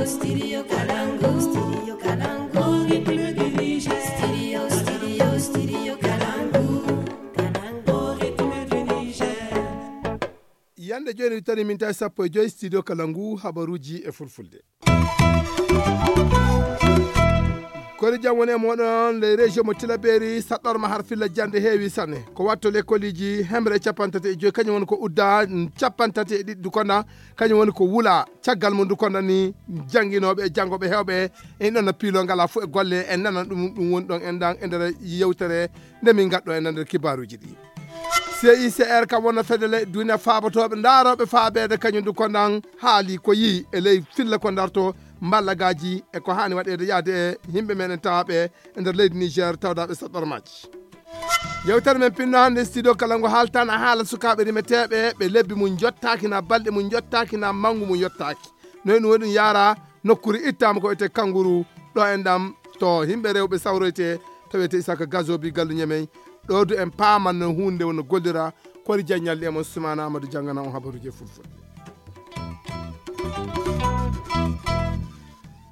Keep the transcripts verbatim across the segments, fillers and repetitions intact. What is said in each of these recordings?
Studio Kalangu, Studio Kalangu, République du Niger. Studio, Studio, Studio Kalangu, Kalangu, République du Niger. Yande jooni tani min tawi sappo e joyi studio Kalangu habaruuji e fulfulde. Kori jam woni e moɗon ley région mo Tilaberi saɗɗorma har filla jande heewi sanne. Ko watto lekkoliji hemre capantate e joyi kañum woni ko udda capantate e ɗiɗi dukona kañum woni ko wula caggal mo dukona ni janginoɓe e jangoɓe hewɓe en ɗon no piilo ngala fof e golle en nana ɗum ɗum woni ɗon en dan e nder yewtere nde min gaddo e nder kibaruji ɗi. C I C R kam wonno fedele duniya faabotoɓe ndaroɓe faabeede kañum du ko nan haali ko yii e ley filla ko darto mballagaji e ko hani waɗede yaade e yimɓe men en tawaɓe e nder leydi Niger tawdaɓe saɗɗormaji. Yewtere men pinno hannde studio kala ngo haaltana haala sukaaɓe rimeteeɓe ɓe lebbi mum jottaaki na balɗe mum jottaaki na manngu mum yottaaki. Noy ɗum waɗi ɗum yaara nokkure ittaama ko wiyetee Kanguru ɗo e ndam to yimɓe rewɓe sawroyte tawete Isaka Gazobi gallu ñemey. Ɗo du en paaman no huunde wonno gollira kori jaññalɗi e mon Sumana Amadou janngana on habaruuji e fulfulde.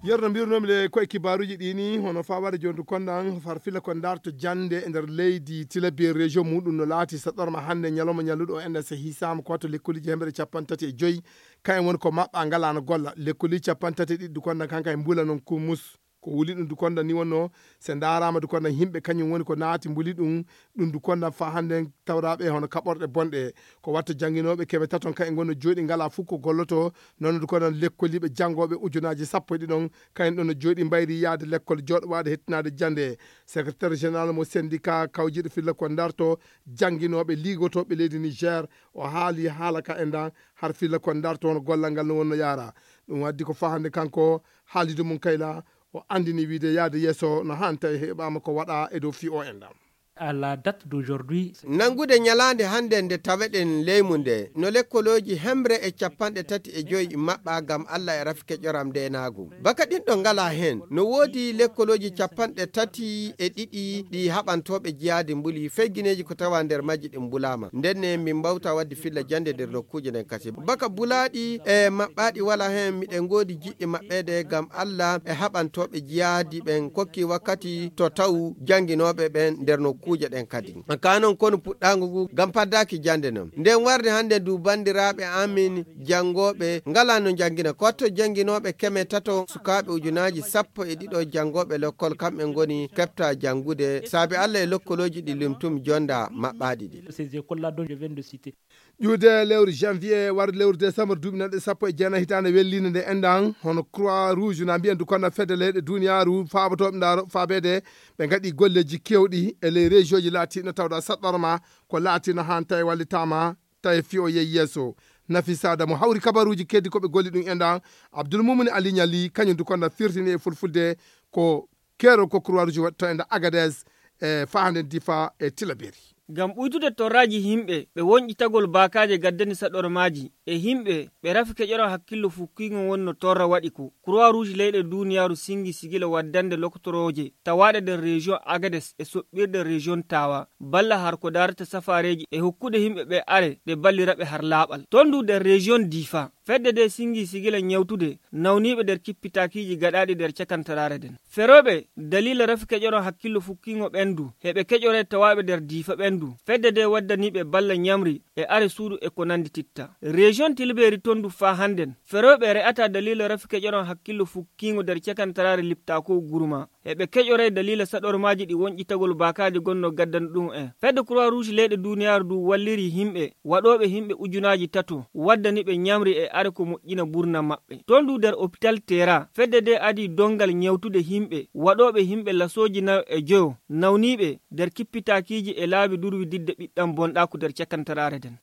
Yerno mbirnomi le koye kibaruji ɗi ni hono fawade jondu kondan farfila ko darto jande e nder leydi tilabi e région muɗum no laati saɗɗorma hannde ñalawma ñalluɗo o enɗa so hisama ko wato lekkoliji hemere capanɗe tati e joyi kayen woni ko maɓɓa ngalano golla lekkoliji capanɗe tati e ɗiɗi du kondan kanka e mbula noon kumus. Ko wuli ɗum du kondan ni wonno se ndarama du kondan yimɓe kañum woni ko naati mbuli ɗum. Ɗum du kondan fa hannde tawraɓe hono kaɓorɗe bonɗe ko watta janginoɓe keɓe taton kayen gonno jooɗi ngala fof ko golloto. Noon du kondan lekkoliɓe jangoɓe ujunaji sappo e ɗiɗon kayen ɗon no jooɗi mbayri yaade lekkol jooɗo waade hettinaade jande. Secrétaire général mo syndicat kawjiɗo filla ko darto janginoɓe ligotoɓe leydi Niger o haali haala ka e ndan har filla ko darto hono gollal ngal no wonno yaara. Ɗum waddi ko fa hannde kanko haalide mum kayla o andini wiide yaade yeeso no han tawi heɓama ko waɗa e dow fi o en ɗam. À la date d'aujourd'hui. Nanngude ñalaande hannde nde taweɗen leymu nde no lekkolooji hemre e capanɗe tati e joyi maɓɓa ngam Allah e rafi keƴoram ndeenaagu. Baka ɗin ɗo ngala heen no woodi lekkolooji capanɗe tati e ɗiɗi ɗi haɓantooɓe jiyaadi mbuli feygineeji ko tawa nder majji ɗin mbulaama. Ndenne min mbawta waɗde filla jannde nder nokkuuje nden kadi. Baka bulaaɗi e maɓɓaaɗi wala heen miɗen ngoodi jiɗɗi maɓɓeede ngam Allah e haɓantooɓe jiyaadi ɓen kokki wakkati to taw jannginooɓe ɓen nder nokkuuje ɗen kadi. Ka non konu puɗɗaango ngu ngam paddaaki jannde non. Nden warde hannde du banndiraaɓe amin janngooɓe ngala no njanngina. Ko watto jannginooɓe keme tato sukaaɓe ujunaaji sappo e ɗiɗo janngooɓe lekkol kamɓe ngoni keɓta janngude saabi Allah e lokkolooji ɗi limtum jonda maɓɓaaɗi ɗi. Ces écoles-là dont je viens de citer. Ƴuwde lewru janvier warde lewru décembre duuɓi nanɗe sappo e jeenayi hitaande welliinde nde enɗan hono croix rouge na mbiyen du konno fedde leyɗe duniyaaru faabotooɓe ndaaro faabeede ɓe ngaɗi golleeji keewɗi e ley région ji laatiino tawda saɗɗorma ko laatiino haan tawi wallitaama tawi fiyo yehi yeeso. Nafisada mo hawri kabaruuji keddi ko ɓe golli ɗum enɗan Abdoul Moumouni Ali Niali kañum du konno firtini e fulfulde ko keerol ko croix rouge waɗi to enɗan Agadez e fahande Difa e Tilaberi. Ngam ɓuytude torraaji yimɓe ɓe wonƴitagol baakaaje gaddani saɗormaaji e yimɓe ɓe rafi keƴoran hakkillo fukkiingo wonno torra waɗi ko croix rouge leyɗe duuniyaaru singi sigila waddande lokotorooje tawaaɗe nder région Agadez e soɓɓirde région Tawa balla har ko daarata safaareeji e hokkude yimɓe ɓe are ɗe balliraɓe har laaɓal ton du nder région Difa. Fedde de singi sigila ñawtude nawniiɓe nder kippitaakiiji gaɗaaɗi nder cakantaraare nden. Ferooɓe daliila rafi keƴoron hakkillo fukkiingo ɓendu heɓe keƴore tawaaɓe nder diifa ɓendu fedde de waddaniiɓe balla ñamri e are suudu e ko nandi titta. Region tilbeeri ton du faa hannden ferooɓe re'ata daliila rafi keƴoron hakkillo fukkiingo nder cakantaraare liptaako gurma. Eɓe keƴoree daliila saɗormaaji ɗi woñƴitagol baakaaji gonnoo gaddana ɗum en. Fedde Croix Rouge leyɗe duuniyaaru ndu walliri yimɓe waɗooɓe yimɓe ujunaaji tato waddani ɓe ñamri e are ko moƴƴina mbuurnam maɓɓe. Ton du nder opital Tera, fedde ndee adii donngal ñawtude yimɓe waɗooɓe yimɓe lasooji nayo e joyo nawniiɓe nder kippitaakiiji e laabi durwi didde ɓiɗɗam bonɗaaku nder cakantaraare nden.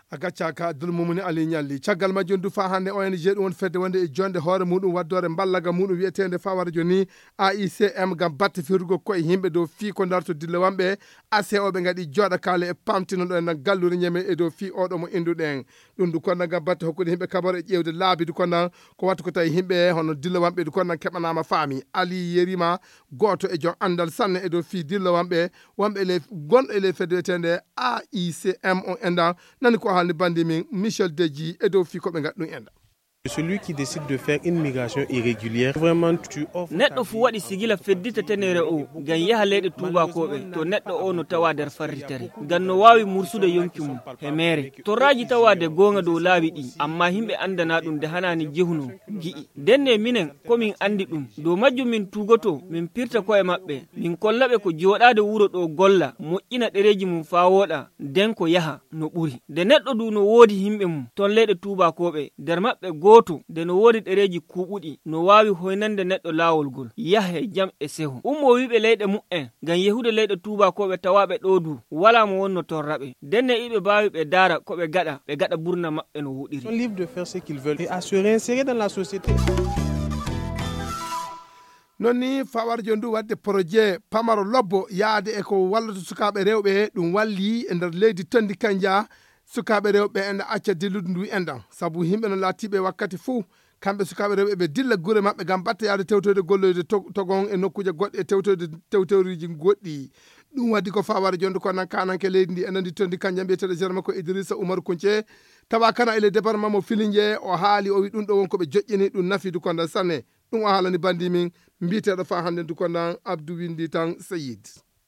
A gaccaaka Abdul Mumuni Ali Ñalli. Caggal majjum du faa hannde O N G ɗum woni fedde wonde e jonde hoore muɗum waddoore mballaga muɗum wiyeteende fawara joni A I C M ngam batte firrugo koye yimɓe dow fii ko ndarto dillowamɓe A C O ɓe ngaɗi jooɗakaale e pamtino ɗo e nder gallure ñeme e dow fii oɗo mo innduɗen. Ɗum du konda ngam batte hokkude yimɓe kabaro e ƴeewde laabi du konda ko wattu ko tawi yimɓe hono dillowamɓe du konda keɓanaama faami. Ali Yerima gooto e jom anndal sanne e dow fii dillowamɓe wonɓe e ley gonɗo e ley fedde wiyeteende A I C M on enɗan nani ko haalni banndi min Michel Deji e dow fii ko ɓe ngaɗi ɗum enɗan. Celui qui décide de faire une migration irrégulière, vraiment, tu offres ta vie à un autre. Neɗɗo fuu waɗi sigila feddita tenere o ngam yaha leyɗe tuubakooɓe, to neɗɗo o no tawa nder farritere. Ngam no waawi mursude yonki mum he meere. Torraaji tawaade goonga dow laawi ɗi, ammaa yimɓe anndanaa ɗum nde hanaani jehuno, ngi'i. Ndenne minen, ko min anndi ɗum. Dow majjum min tuugoto, min pirta ko'e maɓɓe, min kolla ɓe ko jooɗaade wuro ɗo golla, moƴƴina ɗereeji mum faa wooɗa, nden ko yaha no ɓuri. Nde neɗɗo du no woodi yimɓe mum ton leyɗe tuubakooɓe, nder maɓɓe gooto nde no woodi ɗereeji kuuɓuɗi, no waawi hoynande neɗɗo laawol ngol, yaha e jam e seho. Ummoo wi'ɓe leyɗe mu'en, ngam yehude leyɗe tuubakooɓe tawaaɓe ɗo du, walaa mo wonno torra ɓe. Ndenne iɓe mbaawi ɓe ndaara ko ɓe gaɗa, ɓe gaɗa burna maɓɓe no woɗiri. Sont libres de faire ce qu'ils veulent et à se réinsérer dans la société. Non ni fawarjo ndu waɗde projet pamaro lobbo yaade e ko wallata sukaaɓe rewɓe, ɗum walli e nder leydi Tondi Kanja, sukaaɓe rewɓe en acca dillude ndu enɗan. Sabu yimɓe no laatiiɓe wakkati fuu, kamɓe sukaaɓe rewɓe ɓe dilla gure maɓɓe ngam batta yaade tewtoyde golloyde to-, togon e nokkuuje goɗɗe e tewtoyde tewtoyruuji goɗɗi. Ɗum waɗi ko fawarjo ndu ko nan kananke leydi ndi e nandi Tondi Kanja mbiyeteeɗo jeere makko Idrissa Oumar Kounché, tawa kana e le département mo Filinge, o haali o wi ɗum ɗo won ko ɓe joƴƴini ɗum nafi du konda sanne. Ɗum o haalani bandi min mbiyeteeɗo fa hannde du kondan Abdou Windi tan Seyid.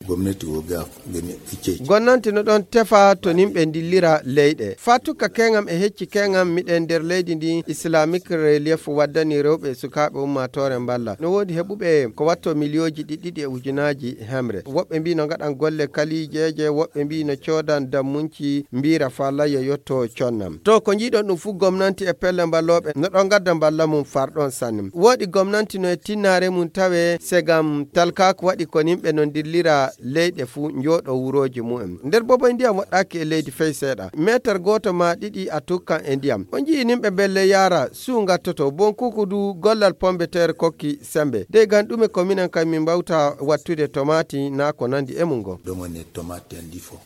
Gomnati wo ga gani ɓe ceci. Gonnanti no ɗon tefa to nimɓe ndillira leyɗe. Faa tukka keŋam e hecci keŋam miɗen nder leydi ndi Islamic Relief waddani rewɓe e sukaaɓe ummaatoore mballa. No woodi heɓuɓe ko watto miliyooji ɗiɗi ɗiɗi e ujunaaji hemre. Woɓɓe mbii no ngaɗan golle kalijeeje, woɓɓe mbii no coodan dammunci mbiira faa layya yotto connam. To ko njiiɗon ɗum fuu gomnanti e pelle mballooɓe no ɗon ngadda mballa mum farɗon sanne. Woodi gomnanti no e tinnaare mum tawe segam talkaaku waɗi ko nimɓe no ndillira leyɗe fuu njooɗo wurooji mumen. Nder boboy ndiyam woɗɗaaki e leydi fey seeɗa. Meetar gooto maa ɗiɗi a tukkan e ndiyam. On njii nimɓe mbelle yaara suu ngattoto. Bonkuku du gollal pombeteer kokki sembe. Dey gam ɗume ko minen kay min mbawta wattude tomaati naa ko nandi e mum ngo. Ɗum woni tomaati en ɗi fof.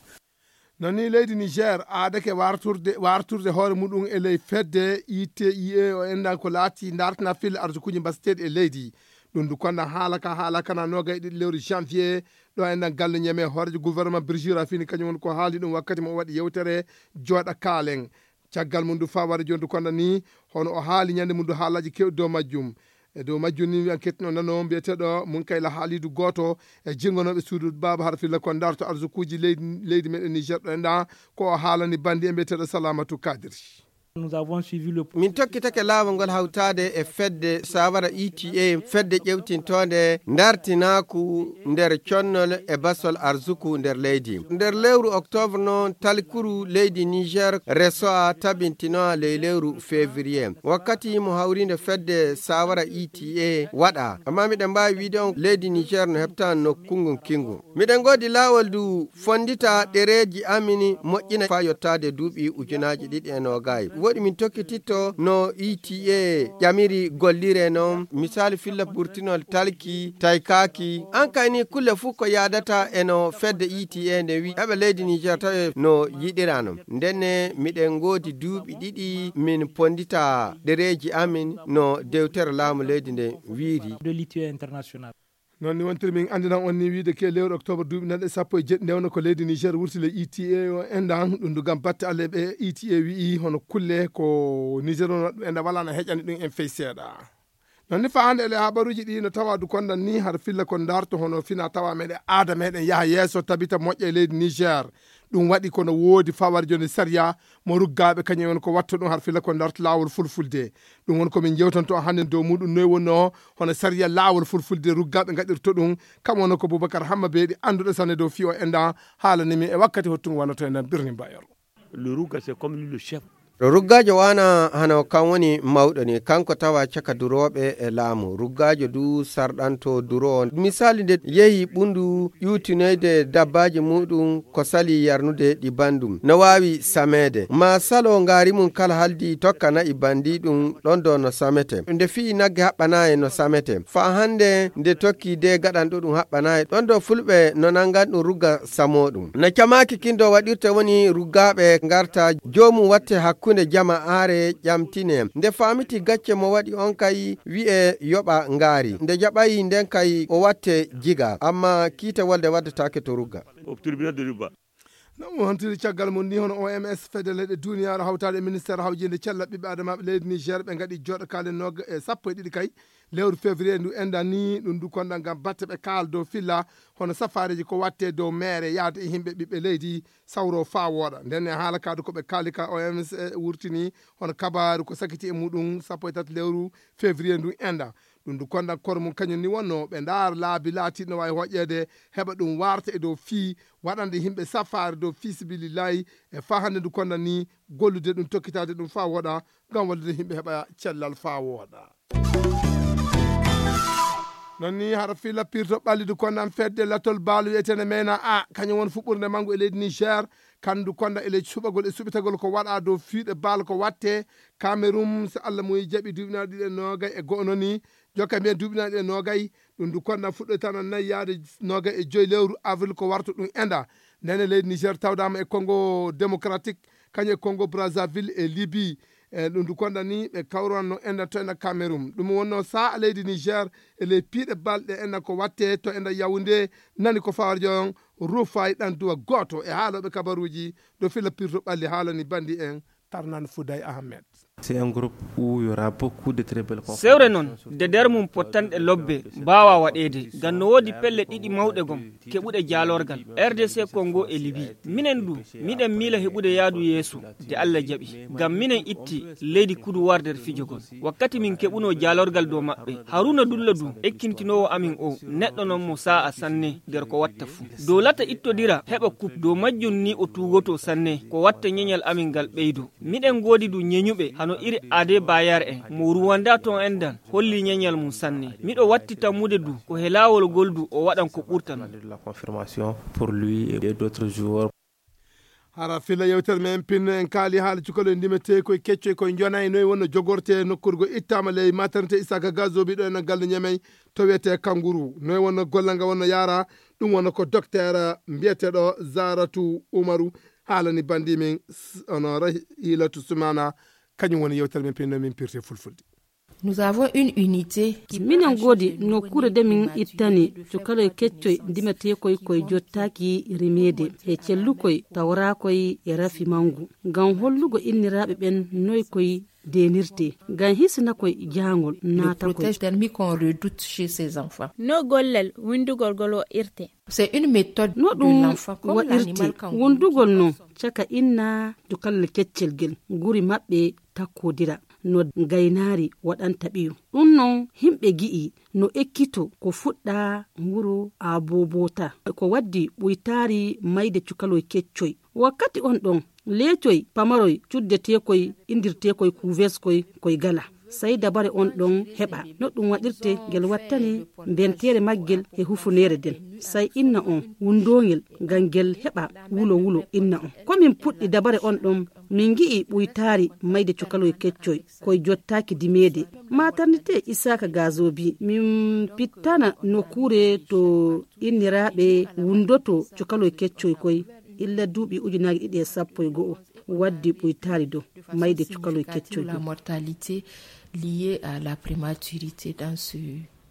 Non ni leydi Niger aadake warturde, warturde hoore muɗum e ley fedde I T I E o enɗan ko laati dartina fil arsukuuji mbaseteeɗi e leydi. Ɗum du konda haala ka, haala kana noogay e ɗiɗi lewru janvier, ɗo enɗan galle Ñeme hooreejo gouvernement Birjira fini kañum woni ko haali ɗum wakkati mo o waɗi yewtere jooɗa kaalen. Caggal mum du faa wari jooni du konda ni, hono o haali ñande mum du haalaaji keewɗi dow majjum. E dow majjum ni, enquête no nano mbiyeteeɗo Munkayla Haalidu, gooto e jirngonooɓe suudu baaba har filla kon darto arsukuuji leydi, leydi meɗen Niger ɗo enɗan, ko o haalani bandi e mbiyeteeɗo Salamatu Kadiri. Nous avons suivi le Min tokkitake laawol ngol hawtaade e fedde Sawara E T A, fedde ƴewtintoonde dartinaaku nder connol e basol arsuku nder leydi. Nder lewru octobre noon, talkuru leydi Niger resoa tabintinoa ley lewru février. Wakkati mo hawriinde fedde Sawara E T A waɗa. Amma miɗen mbaawi wiide on leydi Niger no heɓta nokku ngun kingu. Miɗen ngoodi laawol du fondita ɗereeji amin moƴƴina faa yottaade duuɓi ujunaaji ɗiɗi e noogay. Woɗi min tokkititto no E T A ƴamiri gollire noon. Misali filla burtinol talki, taykaaki. An kay ni kulle fuu ko yaadata e no fedde E T A nde wi eɓe leydi Niger tawe no yiɗira noon. Ndenne miɗen ngoodi duuɓi ɗiɗi min pondita ɗereeji amin no dewtere laamu leydi nde wiiri. De l'I T A international. Noon ni wontiri min anndinan on ni wiide ke lewru octobre duuɓi nanɗe sappo e jeɗɗi nde wonno ko leydi Niger wurti le E T A o enɗan ɗum du gam batte Allah ɓe E T A wi'i hono kulle ko Niger wonno ɗum enɗan wala na heƴani ɗum en fey seeɗa. Noon ni faa hannde ele habaruuji ɗi no tawa du kondan ni har filla kon darto hono fina tawa meɗen aada meɗen yaha yeeso tabita moƴƴa e leydi Niger. Ɗum waɗi kono woodi fawar jooni sariya mo ruggaaɓe kañum en ko watto ɗum har filla kon darto laawol fulfulde. Ɗum woni ko min jewtanto hannde dow muɗum noy wonno hono sariya laawol fulfulde ruggaaɓe ngaɗirto ɗum. Kam wonno ko Boubacar Hamma Beeɗi annduɗo sanne dow fiyo enɗan haalani min e wakkati hottungo wanoto enɗan birni mbayoro. Le Rouga, c'est comme lui le chef. Ruggaajo waana hano kan woni mawɗo ni, kanko tawa caka durooɓe e laamu. Ruggaajo du sarɗanto duroowo. Misali nde yehi ɓundu ƴuutinoyde dabbaaji muɗum ko sali yarnude ɗi banndum. No waawi sameede. Ma salo ngaari mum kala haldi tokka na'i banndi ɗum ɗon do no samete. Nde fii nagge haɓɓanaayi no samete. Faa hannde nde tokki de gaɗanɗo ɗum haɓɓanaayi. Ɗon do fulɓe no nanngan ɗum rugga samoo ɗum. No camaaki kin do waɗirte woni ruggaaɓe ngarta joomum watte hakkunde jama aare ƴamtine. Nde faamiti gacce mo waɗi on kay wi'e yoɓa ngaari. Nde jaɓayi nden kay o watte jiga. Amma kiite wolde waddataake to rugga. Au tribunal de Rouga. No mo hontiri caggal mum ni, hono O M S, fedde leyɗe duniyaaru hawtaade e ministeer hawjinde cellal ɓiɓɓe adamaaɓe leydi Niger, ɓe ngaɗi jooɗo kaale noga e sappo e ɗiɗi kay lewru février ndu enɗen ni. Ɗum du konda ngam batte ɓe kaal dow filla hono safaareeji ko watte dow meere yaade e yimɓe ɓiɓɓe leydi sawro faa wooɗa. Nden e haala kaadu ko ɓe kaali ka O M S wurtini hono kabaaru ko sakiti e muɗum sappo e tati lewru février ndu enɗen. Ɗum du konda kor mum kañum ni wonno ɓe ndaar laabi laatiɗi no waawi hoƴƴeede heɓa ɗum warta e dow fii waɗande yimɓe safaare dow fii sibilillahi e faa hannde ndu konda ni gollude ɗum tokkitaade ɗum faa wooɗa ngam wallude yimɓe heɓa cellal faa wooɗa. Non ni hara fii lappirto ɓallidu kondan fedde latol baalu wiyeteende mena a kañum won fuɓɓurde manngu e leydi Niger, kandu konda e ley suɓagol e suɓitagol ko waɗa dow fiiɗe baal ko watte Cameroun, so Allah muyi jaɓi duuɓinaaɗo ɗiɗi e noogay e go'o non ni, jokka mbiyen duuɓinaaɗo ɗiɗi e noogay, ɗum du konda fuɗɗoytana nayi yaade noogay e joyi lewru avril ko warta ɗum enda. Ndene leydi Niger tawdama e Congo démocratique, kañum e Congo Brazzaville e Libye. E ɗum du konda ni ɓe kawranno enda to enda Cameroun. Ɗum wonno sa'a leydi Niger e ley piiɗe balɗe enda ko watte to enda Yaoundé, nani ko fawarjo on Rufay ɗan duwa gooto e haalooɓe kabaruuji ɗo fila pirto ɓalli haalani bandi en Tarnan Fouday Ahmed. C'est un groupe où il y aura beaucoup de très belles conférences. Sewre noon, de nder mum pottanɗe lobbe mbaawa waɗeede, ngam no woodi pelle ɗiɗi mawɗe gom, keɓuɗe jaalorgal, R D C Congo e Libye. Minen du, miɗen miila heɓude yaadu yeeso, de Allah jaɓi. Ngam minen itti leydi kudu war nder fijo gon. Wakkati min keɓunoo jaalorgal dow maɓɓe, Haruna Dullo du, ekkintinoowo amin o, neɗɗo non mo sa'a sanne nder ko watta fuu. Dow lata ittodira heɓa kup, dow majjum ni o tuugotoo sanne, ko watta ñeñal amin ngal ɓeydo. Miɗen ngoodi du ñeñuɓe hano iri Ade Bayar en, mo Rwanda ton endan, holli ñeñal mum sanne. Miɗo watti tammude du ko he laawol gol du o waɗan ko ɓurta non. La confirmation pour lui et d'autres joueurs. Hara fila yewtere men pinno en kaali haala cukalel ndimete koye keccoy koye njonay noy wonno jogorte nokkurgo ittama ley maternité Isaka Gazobi ɗo en galle Ñamey to wiyete Kanguru. Noy wonno gollal ngal wonno yaara, ɗum wonno ko docteur mbiyeteɗo Zaratu Umaru haalani bandi min s-, ono Rahilatu Sumana, kañum woni yewtere men pinno min pirte fulfulde. Nous avons une unité. Minen ngoodi nokkuure de min ittani cukaloy keccoy ndimateekoy koye jottaaki rimeede e cellukoy tawraakoy e rafi manngu, ngam hollugo inniraaɓe ɓen noy koy deenirtee, ngam hisina koy jaangol naata koy. Protège thermique qu'on redoute chez ces enfants. No gollal winndugol ngol waɗirte? C'est une méthode. No ɗum waɗirte wonndugol non caka inna cukalel keccel ngel, guri maɓɓe takkodira no gaynaari waɗanta ɓiyo. Ɗum non himɓe gi'i no ekkito ko fuɗɗa wuro Abobota. Ko waddi ɓuytaari mayde cukaloy keccoy. Wakkati on ɗon, leecoy pamaroy cuddeteekoy indirteekoy kuveskoy koy gala. Sey dabare on ɗon heɓa. No ɗum waɗirte ngel wattani mbenteere maggel e hufuneere nden. Sey inna on wunndongel ngam ngel heɓa wulo wulo inna on. Ko min puɗɗi dabare on ɗon, min ngi'i ɓuytaari mayde cukaloy keccoy koy jottaaki dimeede. Maternité Isaka Gazobi, min pittana nokkuure to inniraaɓe wunndoto cukaloy keccoy koy. Illa duuɓi ujunaaji ɗiɗi e sappo e go'o waddi ɓuytaari dow mayde cukaloy keccoy dow. La mortalité liée à la prématurité dans ce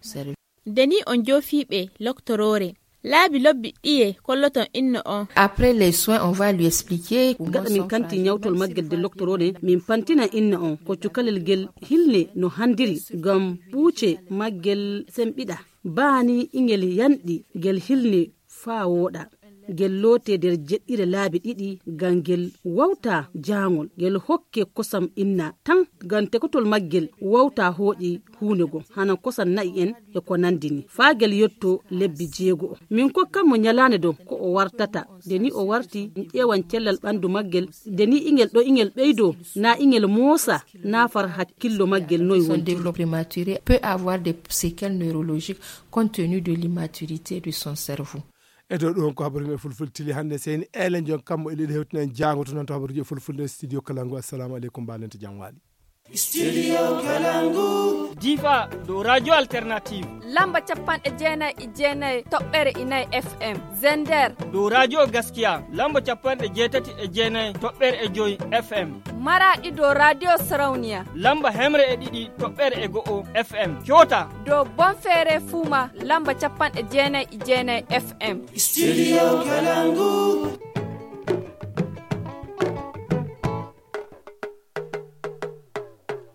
service. Nde ni on joofiiɓe loktoroore, laabi lobbi ɗiye kolloton inno on? Après les soins, on va lui expliquer. Gaɗa min kanti ñawtol maggel de loktoroore, min pantina inna on ko cukalel ngel hilne no handiri ngam ɓuuce maggel semɓiɗa. Baani ingel yanɗi ngel hilne faa wooɗa. Ngel lootee nder jeɗɗire laabi ɗiɗi ngam ngel wawta jaangol. Ngel hokke kosam inna tan ngam tekotol maggel wawta hooƴi huunde goo, hana kosam na'i en e ko nandi ni. Faa ngel yotto lebbi jeego'o. Min kokkan mo ñalaande dow ko o wartata. Nde ni o warti, min ƴeewan cellal ɓandu maggel. Nde ni ingel ɗo ingel ɓeydo, na ingel moosa, na far hakkillo maggel noy son wontiri. Développement prématuré peut avoir des séquelles neurologiques compte tenu de l'immaturité de son cerveau. E dow ɗum ko habaru men fulfulde tili hannde, seyni Elen Jon Kammo e leydi hewtinan jaango to nan to habaruji e fulfulde studio Kalangu. Assalamu aleykum, mbaɗen to jam waali. Studio Kalangu. Difa dow radio alternative. Lamba capanɗe jeenayi e jeenayi toɓɓere inayi F M. Zender. Dow radio Gaskiya lamba capanɗe jeetati e jeenayi toɓɓere e joyi F M. Maraɗi dow radio Sarauniya. Lamba hemre e ɗiɗi toɓɓere e go'o F M. Coota. Dow Bonfere Fuma lamba capanɗe jeenayi e jeenayi F M. Studio Kalangu.